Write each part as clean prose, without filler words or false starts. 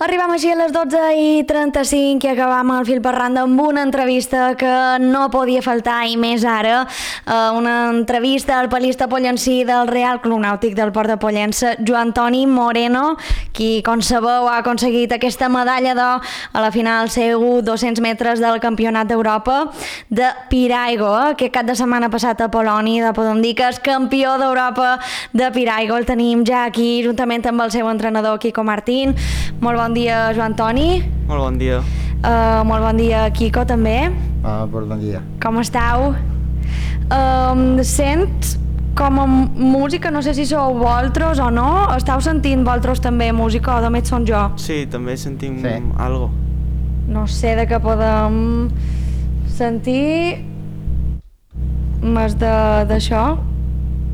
Arribam així a les 12:35 i acabam el fil per randa amb una entrevista que no podia faltar, i més ara, una entrevista al palista pollencí del Real Club Nàutic del Port de Pollença, Joan Toni Moreno, qui, com sabeu, ha aconseguit aquesta medalla d'or a la final seu 200 metres del Campionat d'Europa de Piraigo. Aquest cap de setmana passat a Polònia, podem dir que és campió d'Europa de Piraigo. El tenim ja aquí, juntament amb el seu entrenador, Quico Martín. Molt bon dia, Joan Toni. Molt bon dia. Molt bon dia, Quico, també. Bon dia. Com estàu? Sents com a música, no sé si sou vosaltres o no, estàu sentint vosaltres també música o només són jo? Sí, també sentim algo. No sé de què podem sentir més d'això.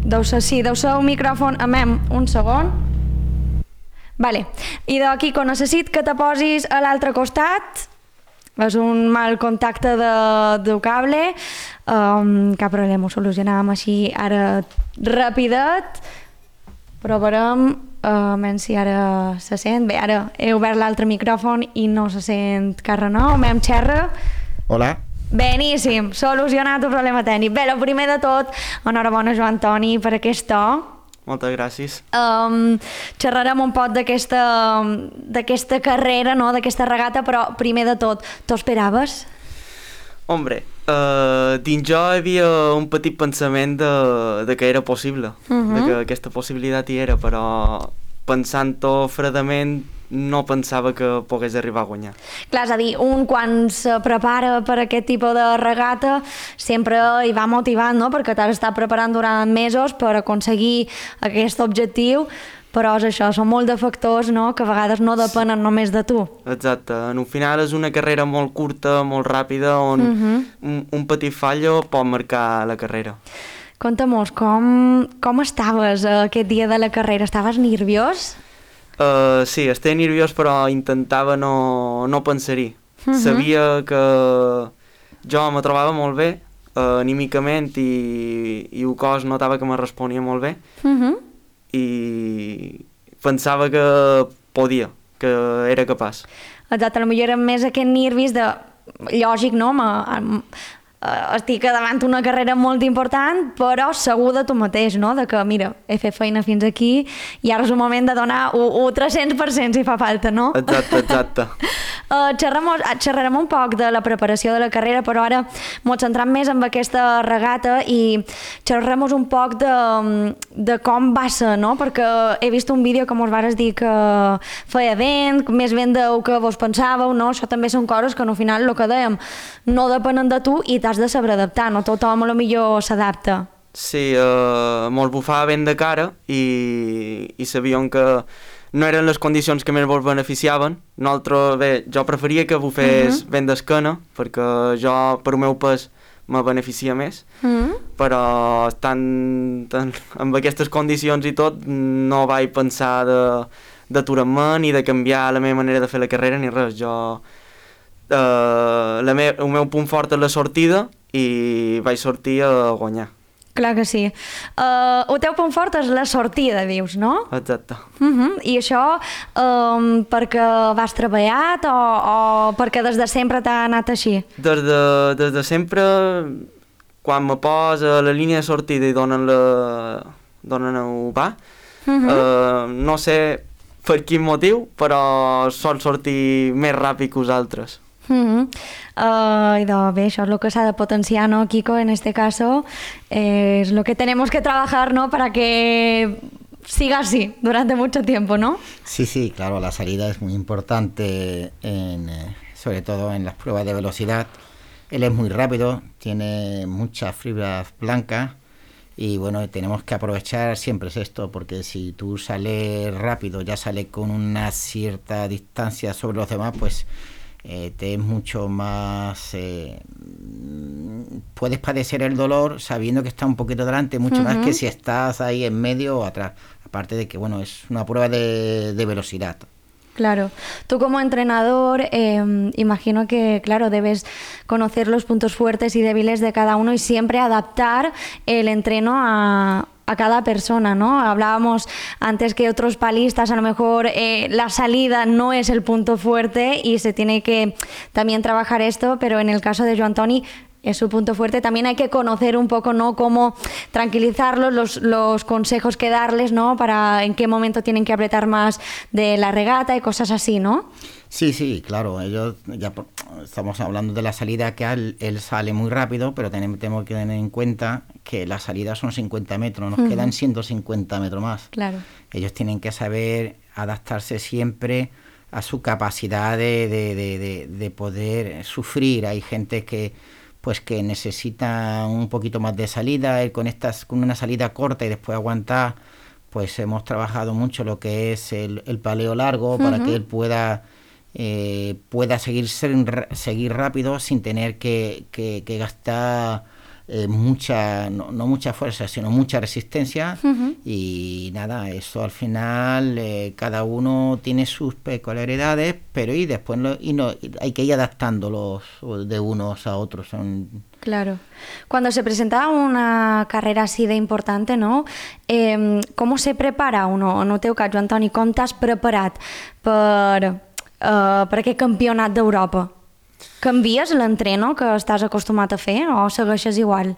Deu ser un micròfon. Amem, un segon. Vale. I d'aquí, quan necessit que te posis a l'altre costat, és un mal contacte del cable, cap problema, ho solucionàvem així ara ràpidet. Provarem si ara se sent. Bé, ara he obert l'altre micròfon i no se sent carre, no? Mem xerra. Hola. Beníssim, solucionat el problema tècnic. Bé, el primer de tot, enhorabona, Joan Toni, per aquest to. Moltes gràcies. Xerrarem un poc d'aquesta carrera, no? D'aquesta regata, però primer de tot, t'ho esperaves? Hombre, dins jo hi havia un petit pensament de que era possible, de que aquesta possibilitat hi era, però pensant-ho fredament no pensava que pogués arribar a guanyar. Clar, és a dir, un quan se prepara per aquest tipus de regata sempre hi va motivant, no? Perquè t'has estat preparant durant mesos per aconseguir aquest objectiu, però és això, són molt de factors, no?, que a vegades no depenen només de tu. Exacte, en un final és una carrera molt curta, molt ràpida, on un petit fallo pot marcar la carrera. Conta-mos, com estaves aquest dia de la carrera? Estaves nerviós? Sí, estava nerviós, però intentava no pensar-hi. Sabia que jo me trobava molt bé, anímicament, i el cos notava que me responia molt bé, i pensava que podia, que era capaç. Exacte, potser era més aquest nervis de... Lògic, no? Estic davant una carrera molt important, però segur de tu mateix, no? De que, mira, he fet feina fins aquí i ara és el moment de donar un 300% si fa falta, no? Exacte. Xerrarem un poc de la preparació de la carrera, però ara ens centrem més en aquesta regata i xerrarem un poc de com va ser, no? Perquè he vist un vídeo que mos vares dir que feia vent, més vent del que vos pensàveu, no? Això també són coses que al final, el que dèiem, no depenen de tu i t'has de saber adaptar, no tothom a lo millor s'adapta. Sí, mos bufava vent de cara i sabíem que no eren les condicions que més vos beneficiaven. Nosaltres, bé, jo preferia que bufés vent d'esquena, perquè jo, per el meu pes, me beneficia més, però amb aquestes condicions i tot no vaig pensar d'aturar-me ni de canviar la meva manera de fer la carrera ni res. El meu punt fort és la sortida i vaig sortir a guanyar. Clar que sí. El teu punt fort és la sortida, dius, no? Exacte. I això perquè vas treballat o perquè des de sempre t'ha anat així? Des de sempre, quan me posa a la línia de sortida i donen el va, no sé per quin motiu, però sol sortir més ràpid que els altres. Y bé, això és el que s'ha de potenciar, ¿no, Quico? En este caso es lo que tenemos que trabajar, ¿no? Para que siga así durante mucho tiempo, ¿no? Sí, claro, la salida es muy importante, sobre todo en las pruebas de velocidad. Él es muy rápido, tiene muchas fibras blancas y bueno, tenemos que aprovechar siempre esto, porque si tú sales rápido, ya sales con una cierta distancia sobre los demás, pues te es mucho más... puedes padecer el dolor sabiendo que está un poquito delante, mucho más que si estás ahí en medio o atrás. Aparte de que, bueno, es una prueba de velocidad. Claro. Tú como entrenador, imagino que, claro, debes conocer los puntos fuertes y débiles de cada uno y siempre adaptar el entreno a a cada persona, ¿no? Hablábamos antes que otros palistas, a lo mejor la salida no es el punto fuerte y se tiene que también trabajar esto, pero en el caso de Joan Toni es su punto fuerte. También hay que conocer un poco, ¿no?, cómo tranquilizarlos, los consejos que darles, ¿no?, para en qué momento tienen que apretar más de la regata y cosas así, ¿no? Sí, claro, ellos ya estamos hablando de la salida, que él sale muy rápido, pero tenemos que tener en cuenta que la salida son 50 metros, nos quedan 150 metros más. Claro. Ellos tienen que saber adaptarse siempre a su capacidad de poder sufrir. Hay gente que necesita un poquito más de salida, con una salida corta y después aguantar. Pues hemos trabajado mucho lo que es el paleo largo, para que él pueda seguir rápido sin tener que gastar no mucha fuerza, sino mucha resistencia. Y nada, eso al final cada uno tiene sus peculiaridades, pero y después hay que ir adaptándolos de unos a otros. Claro. Cuando se presenta una carrera así de importante, no? Com se prepara uno? En el teu cas, Joan Toni, com t'has preparat per aquest campionat d'Europa? Canvies l'entreno que estàs acostumat a fer o segueixes igual?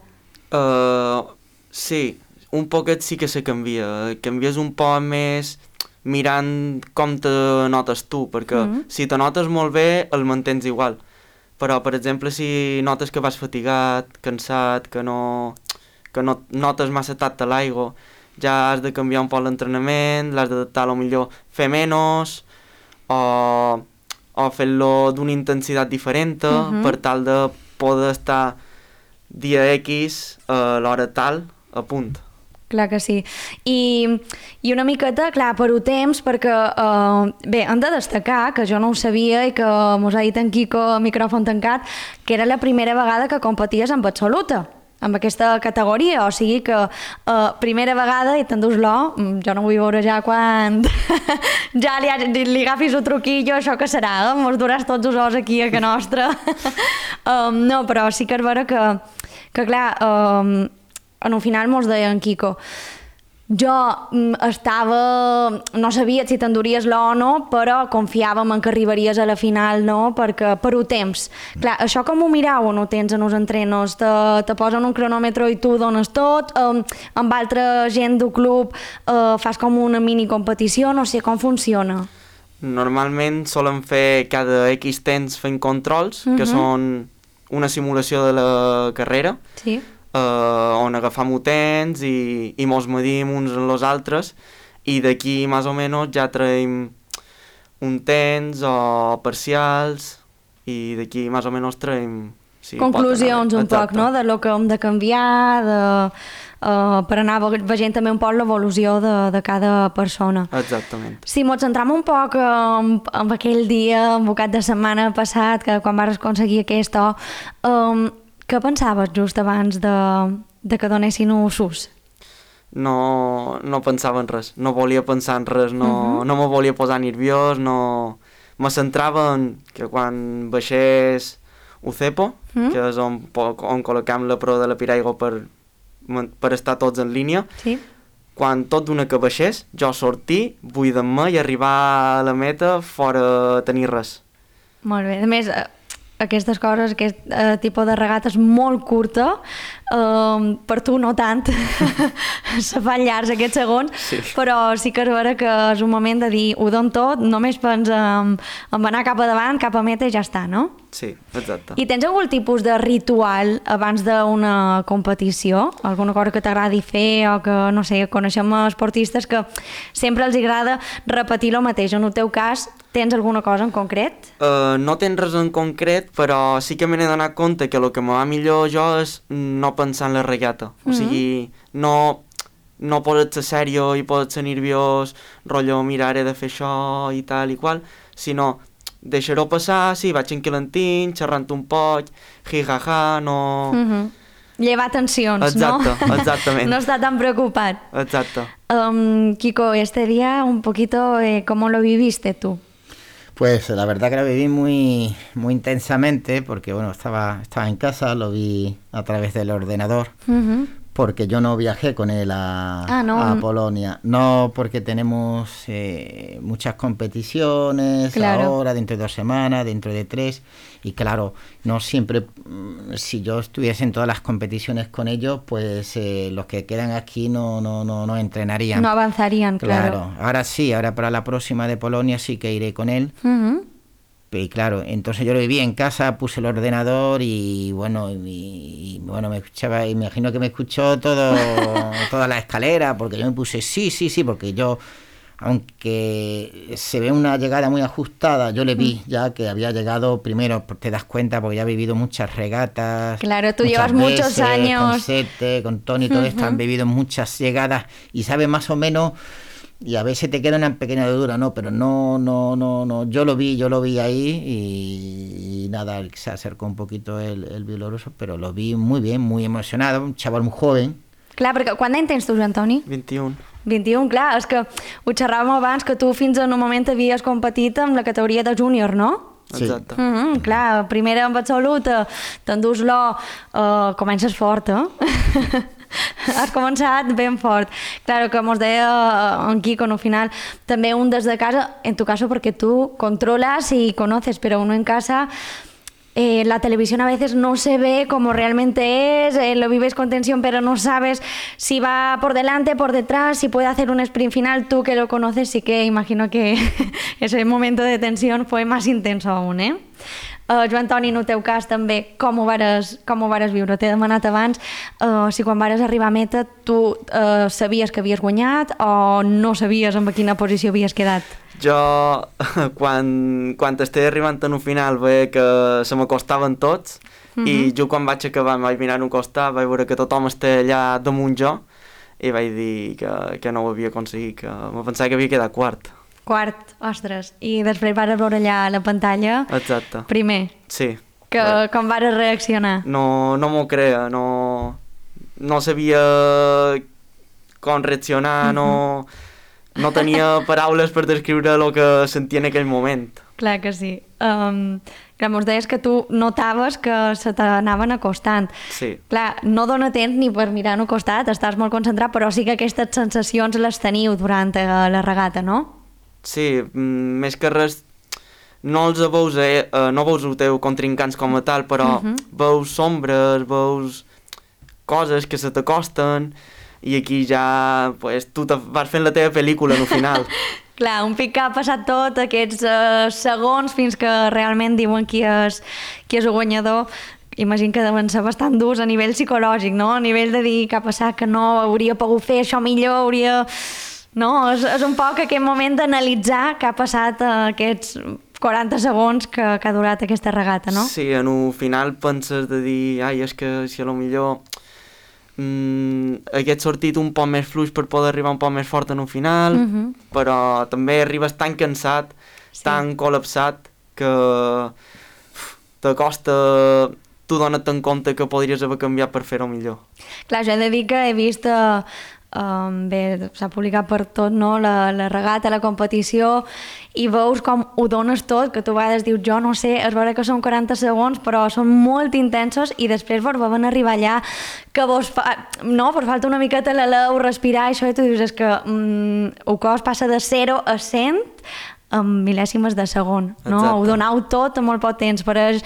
Sí, un poquet sí que se canvia. Canvies un poc més mirant com te notes tu, perquè si te notes molt bé el mantens igual. Però, per exemple, si notes que vas fatigat, cansat, que no notes massa tacte a l'aigua, ja has de canviar un poc l'entrenament, l'has d'adaptar, potser fer menys, o fer-lo d'una intensitat diferent, per tal de poder estar dia X a l'hora tal a punt. Clar que sí. I una miqueta, clar, per temps, perquè bé, hem de destacar que jo no ho sabia i que mos ha dit en Quico a micròfon tancat, que era la primera vegada que competies amb absoluta, amb aquesta categoria, o sigui que primera vegada i t'endús-lo, jo no vull veure ja quan ja li agafis un truquillo, això que serà, mos duràs tots els os aquí a que nostra. No, però sí que és vera que clar, en un final mos deia en Quico, jo no sabia si t'enduries l'O o no, però confiàvem en que arribaries a la final, no? Perquè per un temps. Clar, això com ho mirau o no tens en els entrenos? Te posen un cronòmetre i tu dones tot? Amb altra gent del club fas com una mini competició? No sé com funciona. Normalment solen fer cada X temps fent controls, que són una simulació de la carrera. Sí. On agafam temps i mos medim uns amb els altres i d'aquí més o menys ja traiem un temps o parcials i d'aquí més o menys traiem... Sí, conclusions un poc, no?, de lo que hem de canviar, per anar veient també un poc l'evolució de cada persona. Exactament. Si mos centram un poc en aquell dia, en el cap de setmana passat, que quan vas aconseguir aquesta... Què pensaves just abans de que donessin un sus? No pensava en res, no volia pensar en res, no me volia posar nerviós, no... Me centrava en que quan baixés Ucepo, que és on col·locam la prova de la Piraigua per estar tots en línia, sí. Quan tot d'una que baixés, jo sortir, buidar-me i arribar a la meta fora tenir res. Molt bé, a més... Aquestes coses, aquest tipus de regata és molt curta, per tu no tant, se fan llargs aquests segons, sí. Però sí que és vera que és un moment de dir ho dono tot, només pensa en anar cap a davant, cap a meta i ja està, no? Sí, exacte. I tens algun tipus de ritual abans d'una competició? Alguna cosa que t'agradi fer o que, no sé, coneixem esportistes que sempre els agrada repetir el mateix. En el teu cas, tens alguna cosa en concret? No tens res en concret, però sí que m'he donat compte que el que me va millor jo és no pensar en la regata. O sigui, no pots ser sèrio i pots ser nerviós, rotllo, mira, ara he de fer això i tal i qual, sinó deixar-ho passar, sí, vaig enquilentant, xerrant un poc, hi-ha-ha, no... Llevar tensions, exacte, ¿no? Exactamente. No está tan preocupat. Exacto. Kiko, este día un poquito, ¿cómo lo viviste tú? Pues la verdad que lo viví muy intensamente porque, bueno, estaba en casa, lo vi a través del ordenador, porque yo no viajé con él a Polonia. No, porque tenemos muchas competiciones ahora, dentro de 2 semanas, dentro de 3, y claro, no siempre, si yo estuviese en todas las competiciones con ellos, pues los que quedan aquí no entrenarían. No avanzarían, claro. Ahora sí, ahora para la próxima de Polonia sí que iré con él. Y claro, entonces yo lo viví en casa, puse el ordenador y bueno, me escuchaba, y imagino que me escuchó toda la escalera, porque yo me puse sí, porque yo, aunque se ve una llegada muy ajustada, yo le vi ya que había llegado primero, te das cuenta, porque ya he vivido muchas regatas. Claro, tú llevas muchos años. Con Sete, con Tony, todo esto, han vivido muchas llegadas y sabes más o menos. Y a veces te queda una pequeña dudura, ¿no? Pero no, yo lo vi ahí y nada, se acercó un poquito el bielorruso, pero lo vi muy bien, muy emocionado, un chaval muy joven. Clar, perquè quant d'any tens tu, Joan Toni? 21. 21, clar, és que ho xerràvem abans, que tu fins en un moment havies competit amb la categoria de júnior, no? Sí. Exacte. Clar, primera amb absoluta, t'endús l'O, comences fort, Has començat ben fort. Claro, que mos deia en Quico, al final, també un desde casa, en tu caso porque tú controlas y conoces, pero uno en casa, la televisión a veces no se ve como realmente es, lo vives con tensión, pero no sabes si va por delante, por detrás, si puede hacer un sprint final. Tú que lo conoces, sí que imagino que ese momento de tensión fue más intenso aún, Joan Toni, en el teu cas també, com ho vares viure? T'he demanat abans si quan vares arribar a meta tu sabies que havies guanyat o no sabies en quina posició havies quedat? Jo, quan estic arribant a un final, veia que se m'acostaven tots i jo quan vaig acabar em vaig mirar a un costat, vaig veure que tothom estava allà damunt jo i vaig dir que no ho havia aconseguit, que me pensava que havia quedat quart. Quart, ostres. I després vares veure allà a la pantalla. Exacte. Primer. Sí. Com vares reaccionar? No m'ho creia, no sabia com reaccionar, no tenia paraules per descriure el que sentia en aquell moment. Clar que sí. Clar, mos deies que tu notaves que se t'anaven acostant. Sí. Clar, no dona temps ni per mirar al costat, estàs molt concentrat, però sí que aquestes sensacions les teniu durant la regata, no? Sí, més que res no els veus, no veus els teus contrincants com a tal, però veus sombres, veus coses que se t'acosten i aquí ja pues, tu vas fent la teva pel·lícula al final. Clar, un pic que ha passat tot aquests segons fins que realment diuen qui és el guanyador. Imagino que deuen ser bastant durs a nivell psicològic, no? A nivell de dir que ha passat, que no, hauria pogut fer això millor, hauria... No, és un poc aquest moment d'analitzar què ha passat aquests 40 segons que ha durat aquesta regata, no? Sí, en un final penses de dir, ai, és que si a lo millor hagués sortit un poc més fluix per poder arribar un poc més fort en un final, però també arribes tan cansat, tan col·lapsat, que t'acosta, tu dona't en compte que podries haver canviat per fer-ho millor. Clar, jo he de dir que he vist... bé, s'ha publicat per tot, no? La regata, la competició, i veus com ho dones tot, que tu a vegades dius, jo no sé, és vera que són 40 segons, però són molt intensos i després vos van arribar allà que vos falta una miqueta l'aleu, respirar, això, i tu dius, és que el cos passa de 0 a 100 en mil·lèsimes de segon, no? Exacte. Ho donau tot en molt poc temps, però és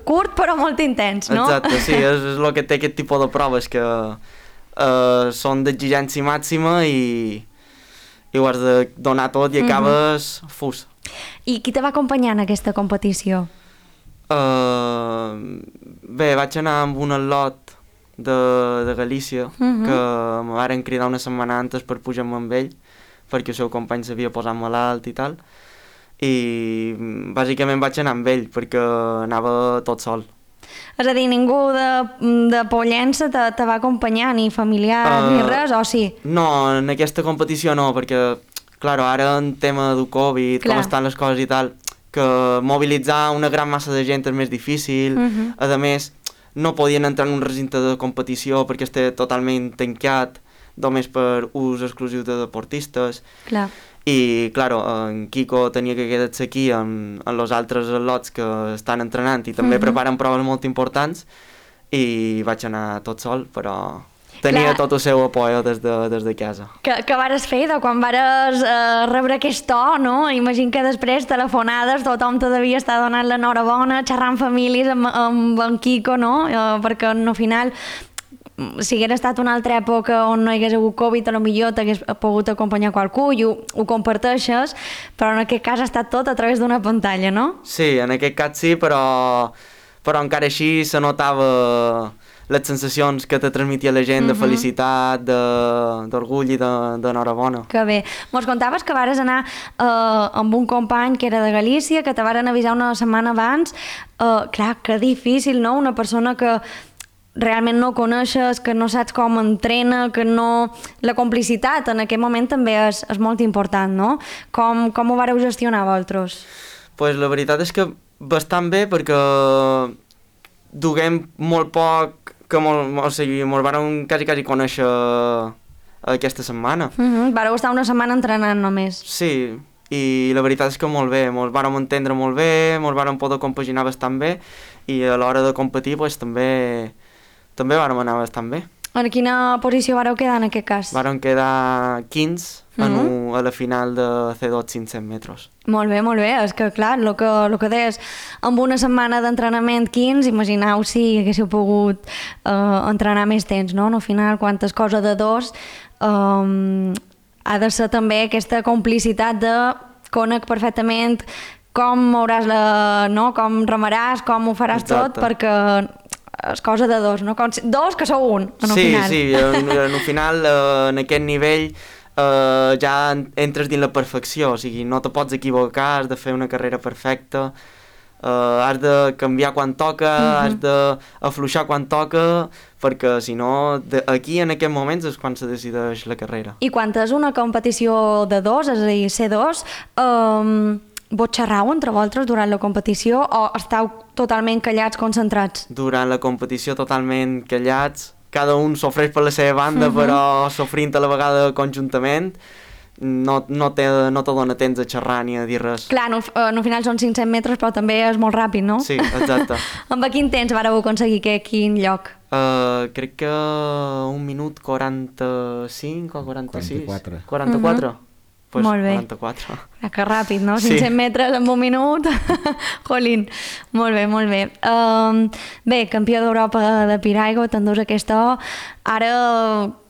curt però molt intens, no? Exacte, sí, és el que té aquest tipus de proves, que són d'exigència màxima i ho has de donar tot i acabes fus. I qui te va acompanyar en aquesta competició? Bé, vaig anar amb un atlot de Galícia que me varen cridar una setmana antes per pujar amb ell perquè el seu company s'havia posat malalt i tal, i bàsicament vaig anar amb ell perquè anava tot sol. És a dir, ningú de Pollença te va acompanyar, ni familiar, ni res, o sí? No, en aquesta competició no, perquè, clar, ara en tema del Covid, com estan les coses i tal, que mobilitzar una gran massa de gent és més difícil, a més, no podien entrar en un recinte de competició perquè està totalment tancat, només per ús exclusiu de deportistes. Clar. I, clar, en Quico tenia que quedar-se aquí amb els altres atlots que estan entrenant i també preparen proves molt importants i vaig anar tot sol, però tenia Clar. tot el seu apoyo des de casa. Que vares fer de quan vares rebre aquest to, no? Imagino que després telefonades, tothom te devia estar donant l'enhorabona, xerrant famílies amb en Quico, no? Perquè al final, si hagués estat una altra època on no hi hagués hagut Covid, potser t'hagués pogut acompanyar qualcú i ho comparteixes, però en aquest cas ha estat tot a través d'una pantalla, no? Sí, en aquest cas sí, però encara així se notava les sensacions que te transmetia la gent de felicitat, d'orgull i d'enhorabona. Que bé. Mos contaves que vares anar amb un company que era de Galícia, que te varen avisar una setmana abans. Clar, que difícil, no? Una persona que realment no coneixes, que no saps com entrena, que no... La complicitat en aquest moment també és molt important, no? Com ho vareu gestionar vosaltres? Pues la veritat és que bastant bé, perquè duguem molt poc, o sigui, mos vàrem quasi conèixer aquesta setmana. Vareu estar una setmana entrenant només. Sí, i la veritat és que molt bé, mos vàrem entendre molt bé, mos vàrem poder compaginar bastant bé, i a l'hora de competir pues, també vàrem anar bastant bé. En quina posició vareu quedar en aquest cas? Vàrem quedar 15 a la final de C2 500 metres. Molt bé, molt bé. És que, clar, el que deies, amb una setmana d'entrenament 15, imagineu si haguéssiu pogut entrenar més temps, no? Al final, quantes coses de dos, ha de ser també aquesta complicitat de conec perfectament com mouràs no? Com remaràs, com ho faràs tot, perquè és cosa de dos, no? Dos que sou un, en el final. Sí, en el final, en aquest nivell, ja entres dins la perfecció, o sigui, no te pots equivocar, has de fer una carrera perfecta, has de canviar quan toca, has d'afluixar quan toca, perquè si no, aquí en aquests moments és quan se decideix la carrera. I quan és una competició de dos, és a dir, C2, vos xerrau entre vosaltres durant la competició o esteu totalment callats, concentrats? Durant la competició totalment callats, cada un s'ofreix per la seva banda, però sofrint a la vegada conjuntament, no te dona temps a xerrar ni a dir res. Clar, al final són 500 metres, però també és molt ràpid, no? Sí, exacte. Amb quin temps vareu aconseguir quin lloc? Crec que 1 minut 45 o 46. 44. 44? Pues molt bé. 44. Que ràpid, no? Sí. 500 metres en 1 minut. Jolín. Molt bé, molt bé. Bé, campió d'Europa de Piraigo, t'endús aquesta O. Ara,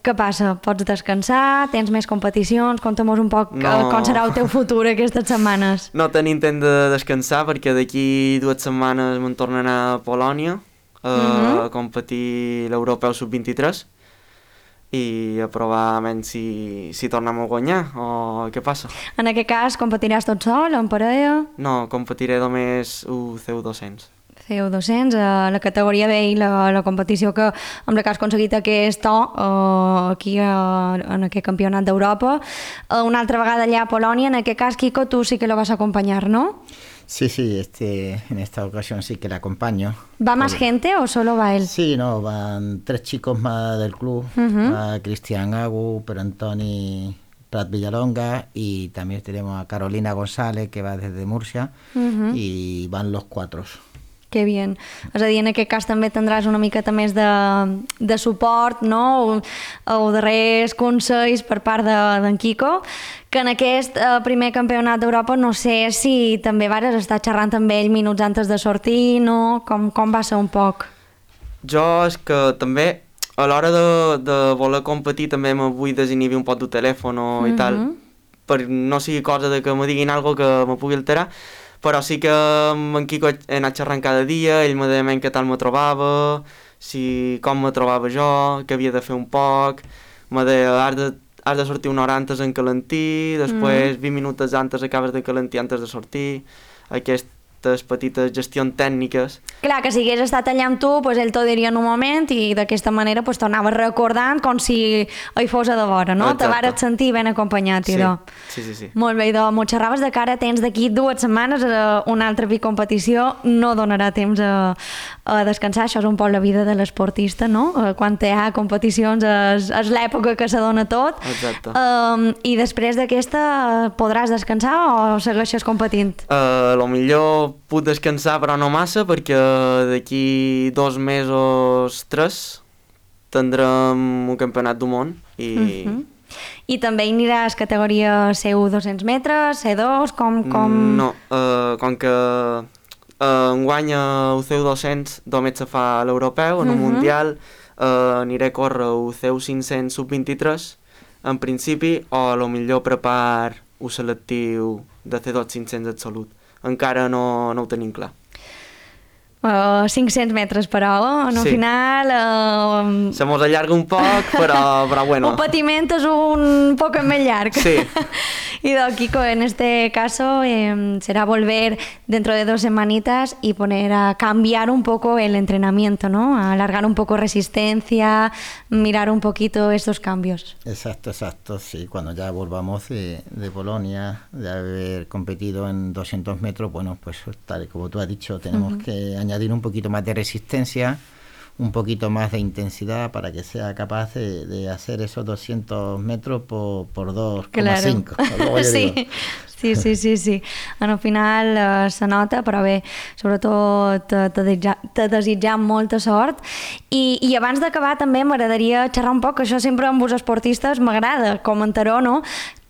què passa? Pots descansar? Tens més competicions? Conta'm-nos un poc com serà el teu futur aquestes setmanes. No tenim temps de descansar perquè d'aquí 2 setmanes me'n torno a anar a Polònia a competir l'Europeu Sub-23 i a provar si tornem a guanyar o què passa. En aquest cas, competiràs tot sol, en parella? No, competiré només CU200. CU200, la categoria B i la competició que amb la que has aconseguit aquest to aquí en aquest campionat d'Europa. Una altra vegada allà a Polònia, en aquest cas, Quico, tu sí que lo vas a acompañar, ¿no? Sí, en esta ocasión sí que la acompaño. ¿Va más gente o solo va él? Sí, no, van 3 chicos más del club, va Cristian Agu, Per Antoni Prat Villalonga y también tenemos a Carolina González que va desde Murcia y van los 4. Que bien. És a dir, en aquest cas també tindràs una miqueta més de suport, no? O darrers consells per part d'en Quico, que en aquest primer campionat d'Europa no sé si també vares estar xerrant amb ell minuts antes de sortir, no? Com va ser un poc? Jo és que també a l'hora de voler competir també me vull desinhibir un poc del telèfon i tal, per no sigui cosa de que me diguin alguna que me pugui alterar, però sí que amb en Quico he anat xerrant cada dia, ell me deia què tal me trobava, com me trobava jo, que havia de fer un poc, me deia has de sortir una hora antes en calentir, després 20 minuts antes acabes de calentir antes de sortir, aquestes petites gestions tècniques. Clar, que si hagués estat allà amb tu, pues ell t'ho diria en un moment i d'aquesta manera pues, t'anaves recordant com si hi fos a de vora, no? Exacte. Te vares sentir ben acompanyat, idò. Sí. Molt bé, idò, m'ho xerraves de cara, tens d'aquí 2 setmanes una altra competició, no donarà temps a descansar, això és un poc la vida de l'esportista, no? Quan hi ha competicions és l'època que se dona tot. Exacte. I després d'aquesta podràs descansar o segueixes competint? Lo millor puc descansar però no massa perquè d'aquí 2 mesos, 3 tindrem un campionat del món i... I també hi aniràs categoria C1 200 metres, C2, com... No, com que enguany el CEU 200 només se fa a l'europeu, en un mundial aniré a córrer el CEU 500 sub-23 en principi, o a lo millor prepar un selectiu de C2 500 absolut. Encara no ho tenim clar. 500 metres per hora, al final... Se mos allarga un poc, però bueno. Un patiment és un poc més llarg. Sí. Y Kiko, en este caso será volver dentro de 2 semanitas y poner a cambiar un poco el entrenamiento, ¿no? A alargar un poco resistencia, mirar un poquito estos cambios. Exacto, sí. Cuando ya volvamos de Polonia, de haber competido en 200 metros, bueno, pues tal y como tú has dicho, tenemos que añadir un poquito más de resistencia, un poquito más de intensidad para que sea capaz de hacer esos 200 metros por 2,5. Claro. Sí. Al final se nota, però bé, sobretot te desitjam molta sort. I abans d'acabar també m'agradaria xerrar un poc, això sempre amb els esportistes m'agrada comentar-ho, no?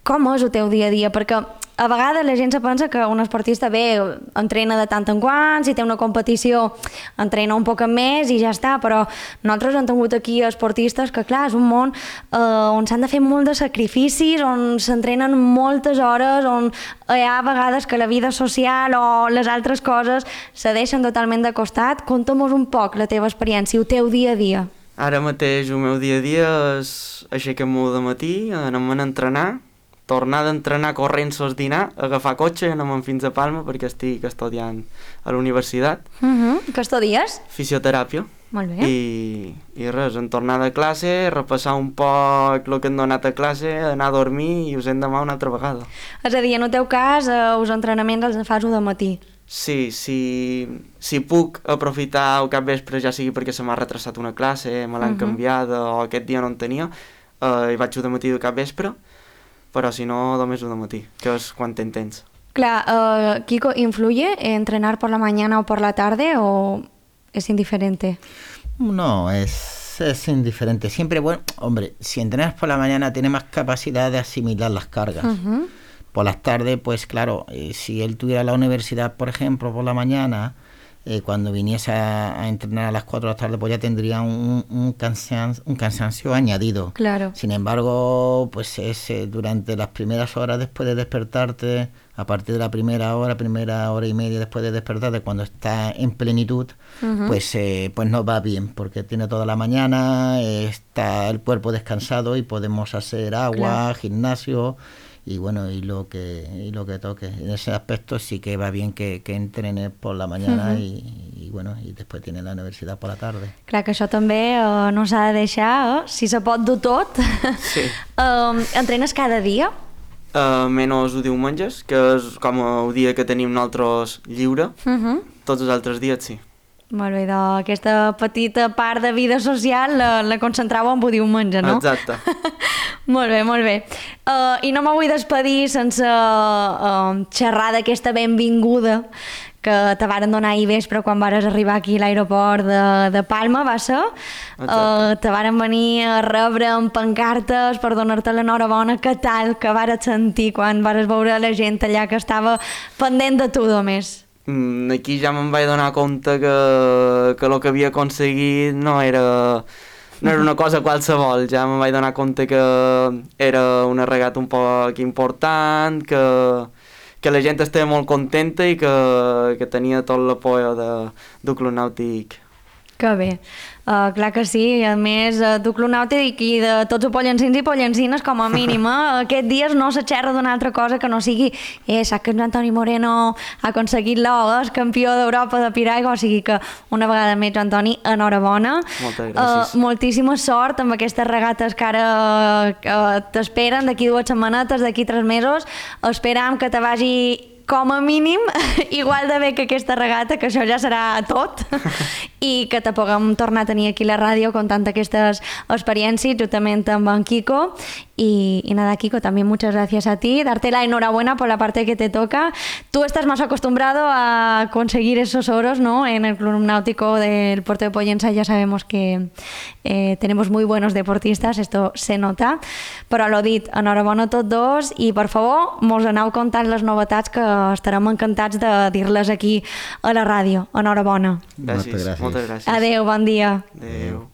Com és el teu dia a dia? Perquè a vegades la gent se pensa que un esportista entrena de tant en quant, si té una competició entrena un poc més i ja està, però nosaltres hem tingut aquí esportistes que clar, és un món on s'han de fer molt de sacrificis, on s'entrenen moltes hores, on hi ha vegades que la vida social o les altres coses se deixen totalment de costat. Conta'm-nos un poc la teva experiència, el teu dia a dia. Ara mateix el meu dia a dia és aixecar-me de matí, anem a entrenar, tornar d'entrenar corrents al dinar, agafar cotxe i anem fins a Palma perquè estic estudiant a la universitat. Què estudies? Fisioteràpia. Molt bé. I res, en tornar de classe, repassar un poc el que hem donat a classe, anar a dormir i us hem demà una altra vegada. És a dir, en el teu cas, els entrenaments els fas de matí. Sí, si puc aprofitar el capvespre, ja sigui perquè se m'ha retrasat una classe, me l'han canviada o aquest dia no en tenia, i vaig de matí de capvespre, però si no, només de matí, que és quan tens temps. Clar, Kiko, ¿influye entrenar por la mañana o por la tarde o es indiferente? No, es indiferente. Siempre, bueno, hombre, si entrenas por la mañana tienes más capacidad de asimilar las cargas. Por las tardes, pues claro, si él tuviera la universidad, por ejemplo, por la mañana, cuando viniese a entrenar a las 4 de la tarde, pues ya tendría un cansancio añadido. Claro. Sin embargo, pues durante las primeras horas después de despertarte, a partir de la primera hora y media después de despertarte, cuando está en plenitud, pues nos va bien, porque tiene toda la mañana, está el cuerpo descansado y podemos hacer agua, gimnasio. Y bueno, y lo que toque. En ese aspecto sí que va bien que entrene por la mañana y bueno, i després tiene la universitat per la tarda. Clar que això també no s'ha de deixar, si se pot dur tot. Sí. Entrenes cada dia? Menys els diumenges, que és com el dia que tenim nosaltres lliure. Tots els altres dies sí. Molt bé, doncs aquesta petita part de vida social la concentrava en el diumenge, no? Exacte. Molt bé, molt bé. I no me vull despedir sense xerrar d'aquesta benvinguda que te varen donar ahir vespre quan vares arribar aquí a l'aeroport de Palma, va ser? Te varen venir a rebre amb pancartes per donar-te l'enhorabona. Què tal que vares sentir quan vares veure la gent allà que estava pendent de tu només? Aquí ja me'n vaig donar compte que el que havia aconseguit no era una cosa qualsevol, ja me'n vaig donar compte que era una regata un poc important, que la gent estava molt contenta i que tenia tot l'apoyo del Club Nàutic. Que bé, clar que sí, a més du Club Nàutic i de tots els pollencins i pollencines com a mínim, aquests dies no se xerra d'una altra cosa que no sigui saps que Antoni Moreno ha aconseguit l'or, és campió d'Europa de piragua, o sigui que una vegada més, Antoni, enhorabona. Moltes gràcies. Moltíssima sort amb aquestes regates que ara t'esperen d'aquí 2 setmanetes, d'aquí 3 mesos, esperam que te vagi com a mínim, igual de bé que aquesta regata, que això ja serà tot, i que te puguem tornar a tenir aquí a la ràdio contant aquestes experiències juntament amb en Kiko. Y nada, Kiko, también muchas gracias a ti. Darte la enhorabuena por la parte que te toca. Tú estás más acostumbrado a conseguir esos oros, ¿no? En el Club Náutico del Puerto de Pollença ya sabemos que tenemos muy buenos deportistas, esto se nota. Però l'ho dit, enhorabona a tots dos i, per favor, mos aneu contant les novetats que estarem encantats de dir-les aquí a la ràdio. Enhorabona. Gràcies, moltes gràcies. Adéu, bon dia. Adéu.